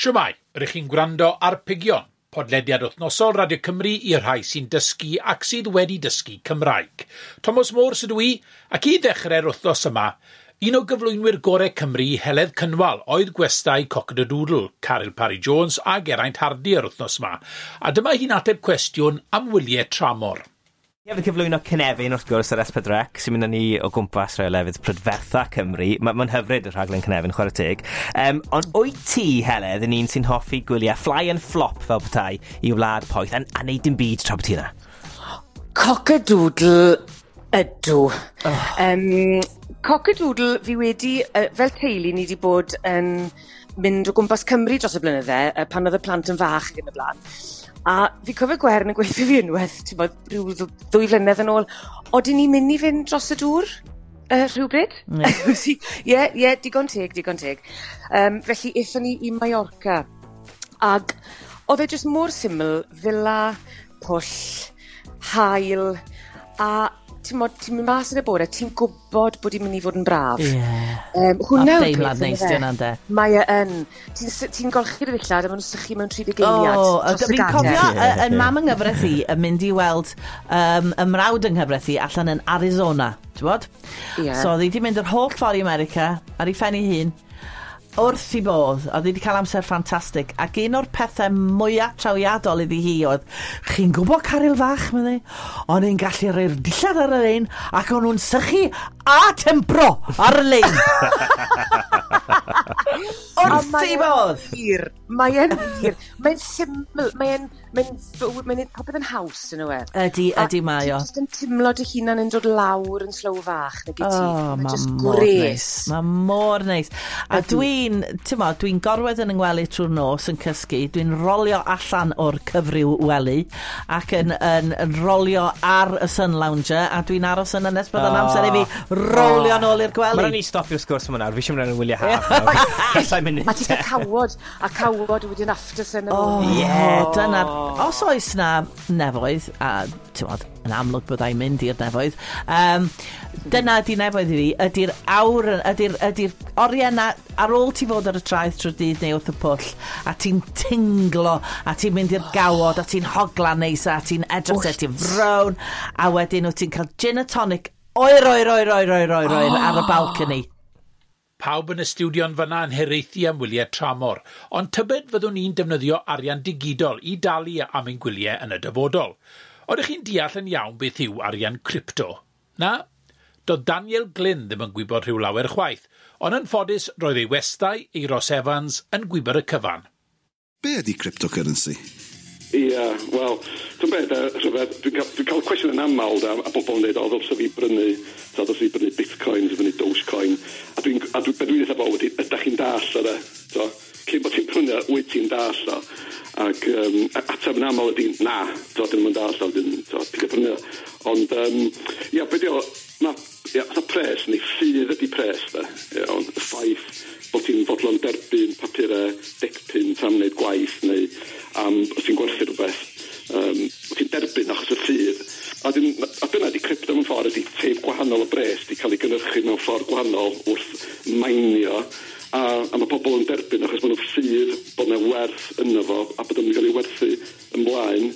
Shwmae, rych chi'n gwrando ar Pigion, podlediad wythnosol Radio Cymru i'r rhai sy'n dysgu ac sydd wedi dysgu Cymraeg. Thomas Morse ydw i, ac i ddechrau'r wythnos yma, un o gyflwynwyr gorau Cymru, Heledd Cynwal, oedd gwestai Cock-a-Doodle, Caryl Parry Jones a Geraint Hardy yr wythnos yma. A dyma hi'n ateb cwestiwn am wyliau tramor. Ni hefyd cyflwyno Cynefin, wrth gwrs, ar S4C, sy'n mynd â ni o gwmpas rhai o lefydd prydfertha Cymru. Mae'n hyfryd y rhaglen Cynefin, chwarae teg. Ond wyt ti, Heledd, yn un sy'n hoffi gwyliau fly and flop fel petai i wlad poeth a neud dim byd tra bod ti yna? Cock-a-doodle ydw. Oh. Cock-a-doodle fi wedi, fel teulu, ni wedi bod yn mynd o gwmpas Cymru dros y blynydde, pan oedd y plant yn fach ac yn y blaen. A fi cofio Gwern yn gweithio fi unwaith, ti'n bod, rhyw 2 flynedd yn ôl, odyn ni'n mynd i fynd dros y dŵr rhywbryd? Ie, ie, digon teg, digon teg. Felly, aethon ni i Mallorca. Ag oedd e jyst mor syml, villa, pwll, haul, a ti'n mod, ti'n mynd mas yn y bore, ti'n gwybod bod hi'n mynd i fod yn braf. Hwnna yw'r deimlad peth, neis yndyfe? 'di hwnna, ynde? Mae e yn. Ti'n golchi'r ddillad a maen nhw'n sychu mewn 30 eiliad O, dros y fi'n gader. cofio yn mam yng nghyfraith i yn mynd i weld y mrawd yng nghyfraith i allan yn Arizona, ti'n bod? So oedd hi wedi mynd yr holl ffordd i America ar ei phen ei hun, wrth i bodd, oedd hi wedi cael amser ffantastig, ac un o'r pethau mwyaf trawiadol iddi hi oedd, "Chi'n gwybod, Caryl fach," meddai, "o'n i'n gallu rhoi'r dillad ar y lein ac o'n nhw'n sychu a tempro ar y lein." Wrth Mae i e'n bodd! Wir, mae e'n wir. Mae'n syml, mae'n popeth yn haws yn yw e. Ydy, ydy mae o. Ti'n just yn timlo dy hunan yn dod lawr yn slow fach, nag i ti? Oh, Mae ma' just mor gwres. neis. Mae mor neis. A dwi'n, ti'n mo, dwi'n gorwedd yn 'y ngwely trwy'r nos yn cysgu, dwi'n rolio allan o'r cyfryw wely ac yn rolio ar y sun lounger a dwi'n aros yna nes bod yn amser i fi rolio nôl i'r Mae'n gwely. rhaid ni stopio'r sgwrs yma nawr. Fi eisiau mynd ar y wyliau haf nawr. 7 munud. A ti'n cael cawod, a cawod wedyn after sun. Oh, Ie. dyna. Os oes na nefoedd, a ti'n bod, yn amlwg byddai'n mynd i'r nefoedd, dyna ydi nefoedd i fi, ydy'r awr, ydy'r oriau na, ar ôl ti fod ar y traeth trwy'r dydd neu wrth y pwll, a ti'n tinglo, a ti'n mynd i'r gawod, a ti'n hogla neis, a ti'n edrych at ti'n frown, a wedyn wyt ti'n cael gin a tonic oer, oer, oer, oer, oer, oer, oer, ar y balcony. Pawb yn y stiwdio'n fyna yn hiraethu am wyliau tramor, ond tybed fyddwn ni'n defnyddio arian digidol i dalu am ein gwyliau yn y dyfodol? Oeddech chi'n deall yn iawn beth yw arian crypto? Na? Doedd Daniel Glyn ddim yn gwybod rhyw lawer chwaith, ond yn ffodus roedd ei westai, Euros Evans, yn gwybod y cyfan. Be ydy cryptocurrency? Ia, wel, dwi'n beth, rhyfedd, dwi cael cwestiwn yn aml da, a bobl yn dweud, "O, ddylse fi brynu, so, ddylse fi brynu bitcoin, ddylse fi brynu Dogecoin," a be dwi'n dweud bobl ydy, "Ydych chi'n dall o de?" So, cyn bod ti'n prynu, wyt ti'n dall o? Ac ateb yn aml ydy, "Na, so, dyn nhw'n dall o, dyn, so, pidio prynu o." Ond, ia, be di o, ma, ia, fatha pres, neu ffydd ydy pres, de, iawn, y ffaith bod ti'n fodlon derbyn papurau 10 punt am wneud gwaith neu am os ti'n gwerthu rhywbeth. Ti'n derbyn achos y ffydd. A dyna di crypto mewn ffordd, ydy teip gwahanol o bres di cael ei gynhyrchu mewn ffordd gwahanol wrth mainio a mae pobl yn derbyn achos maen nhw'n ffydd bod yna werth yno fo a bod o'n cael ei werthu ymlaen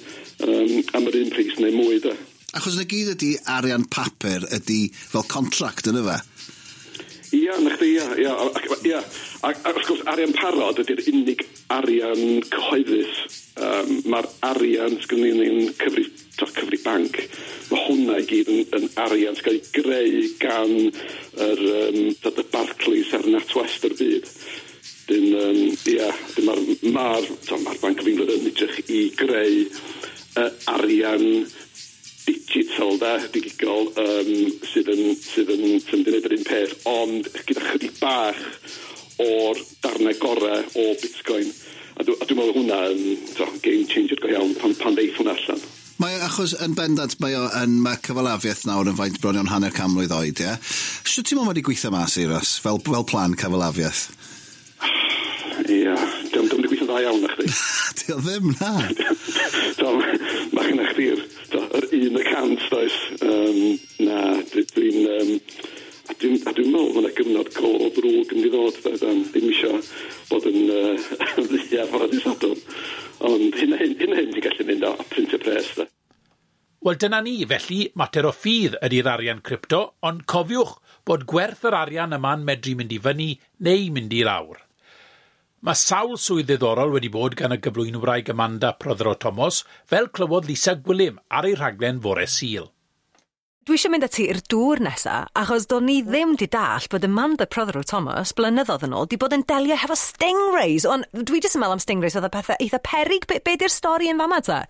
am yr un pris neu mwy de. Achos na gyd ydy arian papur ydy fel contract yna fe. Ia, na chdi, ia, ia. A wrth gwrs, arian parod ydy'r unig arian cyhoeddus. Mae'r arian sgynny ni'n cyfri, to, cyfri banc, mae hwnna i gyd yn arian sy'n cael ei greu gan y Barclays a'r NatWest o'r byd. Dyn, ia, dyn mae'r Bank of England yn edrych i greu arian digital da, digidol, sydd yn gwneud yr un peth, ond gyda chydig bach o'r darnau gorau o Bitcoin. A dwi'n meddwl hwnna yn to, game changer go iawn pan ddeith hwnna allan. Mae achos yn bendant, mae o yn, mae cyfalafiaeth nawr yn faint bron iawn 50 mlwydd oed, ie? Sut ti'n meddwl mae wedi gweithio mas, Euros, fel plan cyfalafiaeth? Ia, diolch wedi gweithio'n dda iawn na chdi. Di o ddim, na. Do, mae gennych chdi'r yr 1%, does. Na, dwi'n... A dwi'n meddwl mae yna gyfnod go ddrwg yn mynd i ddod, de, Dan. Ddim isio bod yn ddyn. Ie, bore dydd Sadwrn. Ond hyn a hyn, hyn a hyn ti'n gallu mynd a printio pres, de. Wel, dyna ni, felly, mater o ffydd ydy'r arian crypto, ond cofiwch bod gwerth yr arian yma'n medru mynd i fyny neu mynd i lawr. Mae sawl swydd ddiddorol wedi bod gan y gyflwynwraig Amanda Prothero Thomas, fel clywodd Lisa Gwilym ar ei rhaglen fore Sul. Dwi eisiau mynd â ti i'r dŵr nesa, achos do'n ni ddim 'di dallt bod Amanda Prothero Thomas, blynyddoedd yn ôl, 'di bod yn delio hefo stingrays. Ond dwi jyst yn meddwl am stingrays oedd y pethau eitha peryg. Be di'r stori yn fama ta?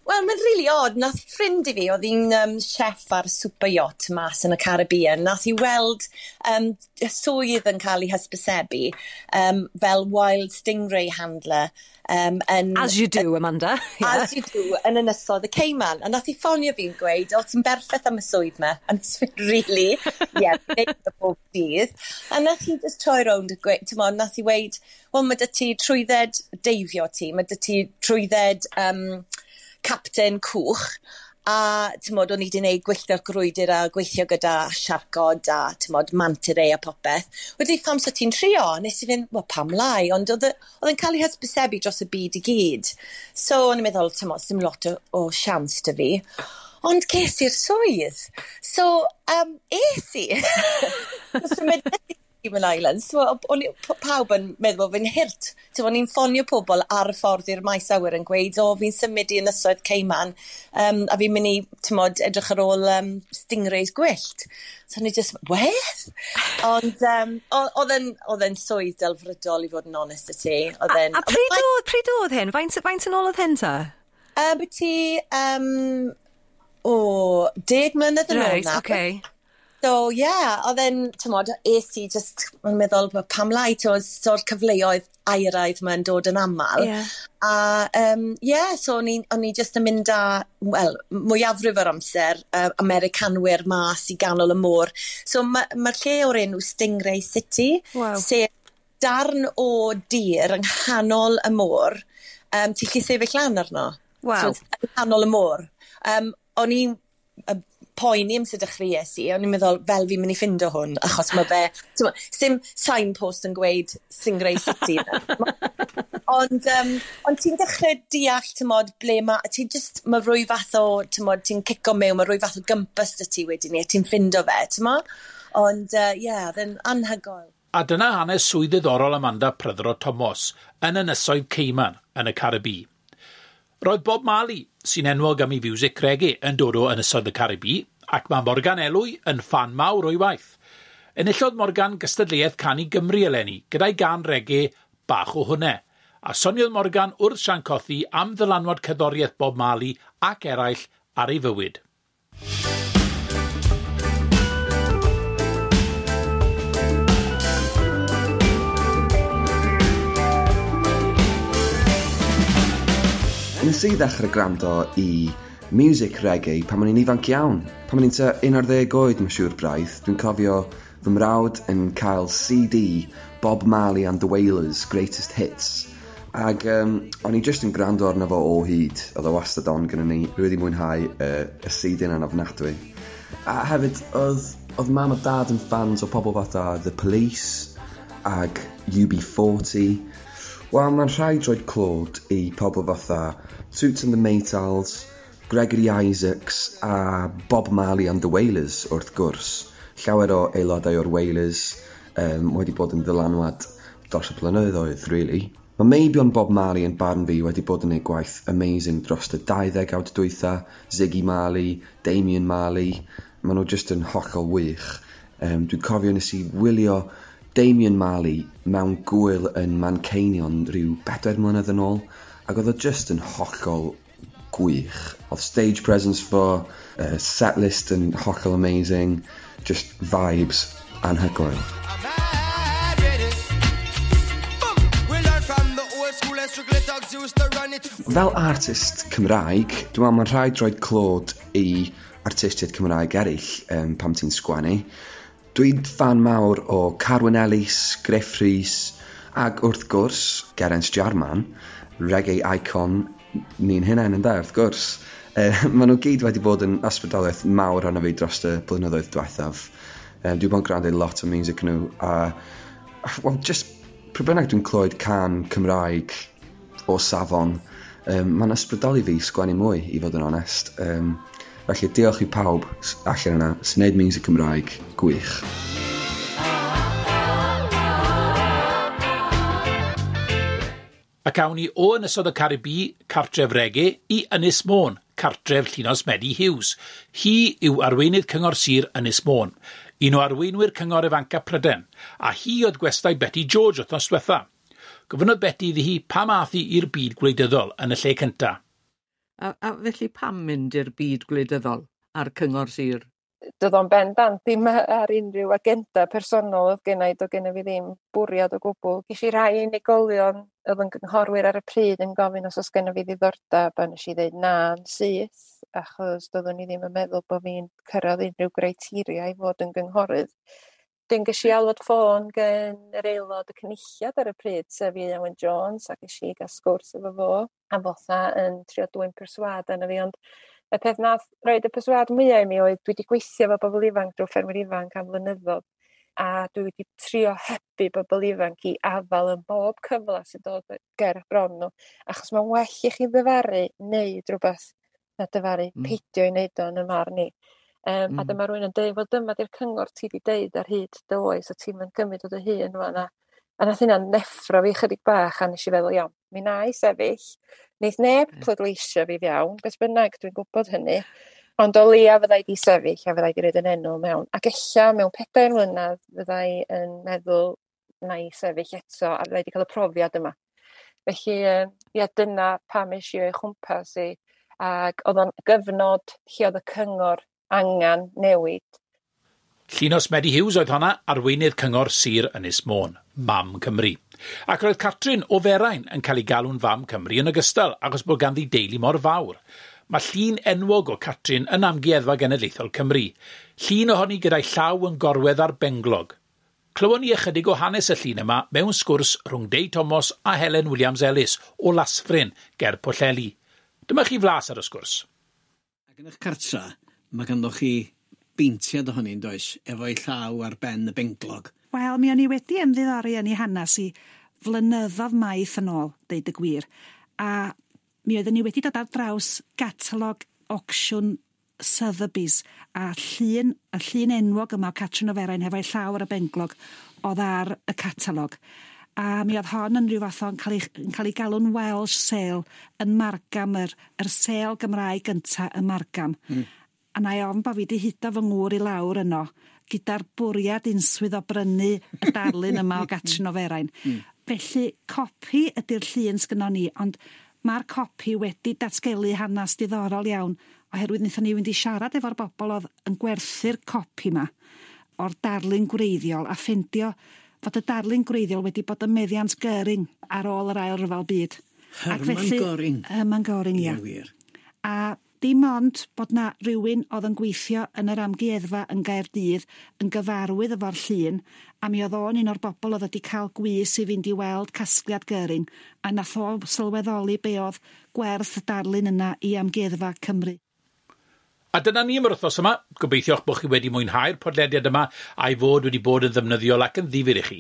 Wel, mae'n really odd. Nath ffrind i fi, oedd hi'n chef ar super yacht mas yn y Caribbean, nath hi weld swydd yn cael ei hysbysebu fel wild stingray handler. Yn, As you do, Amanda. Yeah. As you do, yn ynysodd y Cayman. A nath hi ffonio fi'n gweud, "O, ti'n berffaith am y swydd 'ma." A nes i fynd, "Really?" "Yeah, neud o bob dydd." A nath hi just troi rownd a gweud, ti'n nath hi weud, "Wel, mae 'da ti trwydded deifio ti, mae 'da ti trwydded captain cwch," a t'mod, o'n i wedi gwneud gwylltio'r grwydr a gweithio gyda siarcod a t'mod, manta ray a popeth. "Wedi, pam so ti'n trio?" Nes i fynd, "Wel, pam lai?" Ond oedd yn cael ei hysbysebu dros y byd i gyd. So o'n i'n meddwl, t'mod, dim lot o siawns 'da fi. Ond ces i'r swydd. So, es i. So, Cayman Islands. So, o'n pawb yn meddwl bod fi'n hurt. So, o'n i'n ffonio pobl ar y ffordd i'r maes awyr yn gweud, "O, fi'n symud i Ynysoedd Cayman, a fi'n mynd i, t'mod, edrych ar ôl stingrays gwyllt." So o'n i just, "What?" Ond oedd e'n swydd delfrydol, i fod yn onest i ti. Oedd e'n... A pryd oedd hyn? Faint yn ôl oedd hyn ta? Byti, o, 10 mlynedd yn ôl nawr. So, yeah, oedd e'n, t'mod, es i just, mae'n meddwl, pam lai, t'mod, so'r cyfleoedd airaidd mae'n dod yn aml. A, yeah, so o'n i just yn mynd â, wel, mwyafrif o'r amser, Americanwyr mas i ganol y môr. So, mae'r ma lle o'r enw Stingray City, sef darn o dir yng nghanol y môr, ti'n gallu sefyll lan arno. So, yng nghanol y môr. O'n i'n poeni am sut dechreuais i, o'n i'n meddwl, fel fi'n mynd i ffindo hwn, achos mae fe, t'mo', sim signpost yn gweud Stingray City. Ond ti'n dechrau deall, t'mod, ble ma, ti'n just, mae rwy fath o, t'mod, ti'n cico mewn, mae rwy fath o gwmpas 'da ti wedyn ni, a ti'n ffindo fe, t'mo'? Ond, ie, oedd e'n anhygoel. A dyna hanes swydd ddiddorol Amanda Prothero Thomas yn Ynysoedd Cayman yn y Caribi. Roedd Bob Marley, sy'n enwog am ei fiwsig reggae, yn dod o Ynysoedd y Caribi, ac mae Morgan Elwy yn ffan mawr o'i waith. Enillodd Morgan gystadleuaeth Cân i Gymru eleni, gyda'i gân reggae "Bach o Hwnne". A soniodd Morgan wrth Sian Cothi am ddylanwad cerddoriaeth Bob Marley ac eraill ar ei fywyd. Nes i ddechrau gwrando i music reggae pan o'n i'n ifanc iawn. Pan o'n i'n tua 11 oed, mae'n siŵr braidd, dwi'n cofio fy mrawd yn cael CD Bob Marley and the Wailers, Greatest Hits. Ac o'n i just yn gwrando arno fo o hyd. Oedd o wastad on gyda ni. Rwy wedi mwynhau y CD yna'n ofnadwy. A hefyd, oedd mam a dad yn fans o pobl fatha The Police ag UB40. Wel, mae'n rhaid rhoi clod i pobl fatha Toots and the Maytals, Gregory Isaacs a Bob Marley and the Wailers, wrth gwrs. Llawer o aelodau o'r Wailers wedi bod yn ddylanwad dros y blynyddoedd, really. Mae meibion Bob Marley yn barn fi wedi bod yn ei gwaith amazing dros y 20 awd dwytha, Ziggy Marley, Damian Marley, maen nhw just yn hollol wych. Dwi'n cofio nes i wylio Damian Marley mewn gwyl yn Manceinion rhyw 4 mlynedd yn ôl, ac oedd o just yn hollol gwych. Oedd stage presence fo, set list yn hollol amazing, just vibes anhygoel. We learn from the old school and strictly thugs used to run it. Fel artist Cymraeg, dwi'n meddwl mae'n rhaid rhoi clod i artistiaid Cymraeg eraill pam ti'n sgwennu. Dwi'n fan mawr o Carwyn Ellis, Gruff Rhys, ac wrth gwrs, Geraint Jarman, reggae icon ni'n hunain yn da, wrth gwrs. Maen nhw gyd wedi bod yn ysbrydoliaeth mawr arno fi dros y blynyddoedd diwethaf. Dwi bod yn gwrando i lot o music nhw, a, well, just Pryd bynnag dwi'n clywed cân Cymraeg o safon, mae'n ysbrydoli fi sgwennu mwy, i fod yn onest. Felly diolch i pawb allan yna sy'n neud music Cymraeg gwych. Ac awn ni o Ynysoedd y Caribi, cartref rege, i Ynys Môn, cartref Llinos Medi Hughes. Hi yw arweinydd Cyngor Sir Ynys Môn, un o arweinwyr Cyngor Ifanca Prydain, a hi oedd gwestai Beti George wythnos diwetha. Gofynnodd Beti iddi hi pam ath hi i'r byd gwleidyddol yn y lle cynta. A felly pam mynd i'r byd gwleidyddol a'r Cyngor Sir? Doedd o'n bendant ddim ar unrhyw agenda personol oedd genna i, doedd genna fi ddim bwriad o gwbl. Ges i rai unigolion oedd yn gynghorwyr ar y pryd yn gofyn os oes genna fi ddiddordeb, a nes i ddeud na yn syth, achos doeddwn i ddim yn meddwl bod fi'n cyrraedd unrhyw griteria i fod yn gynghorydd. Wedyn ges i alwad ffôn gen yr aelod y cynulliad ar y pryd, sef Ieuan Wyn Jones, a ges i gael sgwrs efo fo, a fotha yn trio dwyn perswâd arno fi, ond y peth nath roid y perswâd mwyaf i mi oedd dwi wedi gweithio efo bobl ifanc drwy ffermwyr ifanc am flynyddoedd, a dwi wedi trio hybu bobl ifanc i afael yn bob cyfle sy'n dod ger bron nhw, achos mae'n well i chi ddyfaru wneud rhywbeth na dyfaru peidio i wneud o yn y marn i. A dyma rhywun yn deud, wel dyma di'r cyngor ti wedi deud ar hyd dy oes, a ti'n mynd gymryd o dy hun rwan. A nath hynna'n neffro fi chydig bach, a nes i feddwl, iawn, mi na i sefyll. Neith neb pleidleisio fi fewn, beth bynnag, dwi'n gwybod hynny. Ond o leia fydda i di sefyll a fydda i di roid yn enw mewn. Ac ella mewn 4 mlynedd fydda i yn meddwl na i sefyll eto a fydda i di cael y profiad yma. Felly, ia, dyna pam es i o'i chwmpas i. Ac oedd o'n gyfnod lle oedd y cyngor angen newid. Llinos Medi Hughes oedd honna, arweinydd Cyngor Sir Ynys Môn, Mam Cymru. Ac roedd Catrin o Ferain yn cael ei galw'n Fam Cymru yn ogystal, achos bod ganddi deulu mor fawr. Mae llun enwog o Catrin yn Amgueddfa Genedlaethol Cymru. Llun ohoni gyda'i llaw yn gorwedd ar benglog. Clywon ni ychydig o hanes y llun yma mewn sgwrs rhwng Dei Thomas a Helen Williams-Ellis o Lasfryn ger Pwllheli. Dyma chi flas ar y sgwrs. Ac yn eich cartra, mae ganddo chi beintiad ohoni, yn does, efo'i llaw ar ben y benglog. Wel, mi o'n i wedi ymddiddori yn ei hanes i flynyddoedd maith yn ôl, deud y gwir. A mi oeddwn ni wedi dod ar draws gatalog auction Sotheby's a llun, y llun enwog yma o Catrin o Ferain hefo'i llaw ar y benglog oedd ar y catalog. A mi oedd hon yn rhyw fath o'n cael ei galw'n Welsh sale yn Margam, yr sêl Gymraeg gynta yn Margam. A na i ofn bod fi wedi hudo fy ngŵr i lawr yno gyda'r bwriad unswydd o brynu y darlun yma o Catrin o Ferain. Felly, copi ydy'r llun sgynnon ni, ond mae'r copi wedi datgelu hanes diddorol iawn, oherwydd wnaethon ni fynd i siarad efo'r bobl oedd yn gwerthu'r copi yma o'r darlun gwreiddiol a ffeindio fod y darlun gwreiddiol wedi bod yn meddiant Göring ar ôl yr Ail Ryfel Byd. Hermann Göring. Hermann Göring, ia. Wir. A dim ond bod na rhywun oedd yn gweithio yn yr amgueddfa yn Gaerdydd yn gyfarwydd efo'r llun, a mi oedd o'n un o'r bobl oedd wedi cael gwys i fynd i weld casgliad Göring, a nath o sylweddoli be oedd gwerth y darlun yna i Amgueddfa Cymru. A dyna ni am yr wythnos yma. Gobeithio'ch bod chi wedi mwynhau'r podlediad yma a'i fod wedi bod yn ddefnyddiol ac yn ddifyr i chi.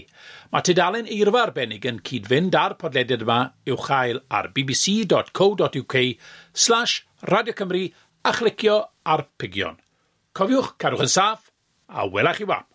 Mae tudalen eirfa arbennig yn cyd-fynd â'r podlediad yma i'w chael ar bbc.co.uk/Radio Cymru a chlicio ar pigion. Cofiwch, cadwch yn saff a wela chi wap.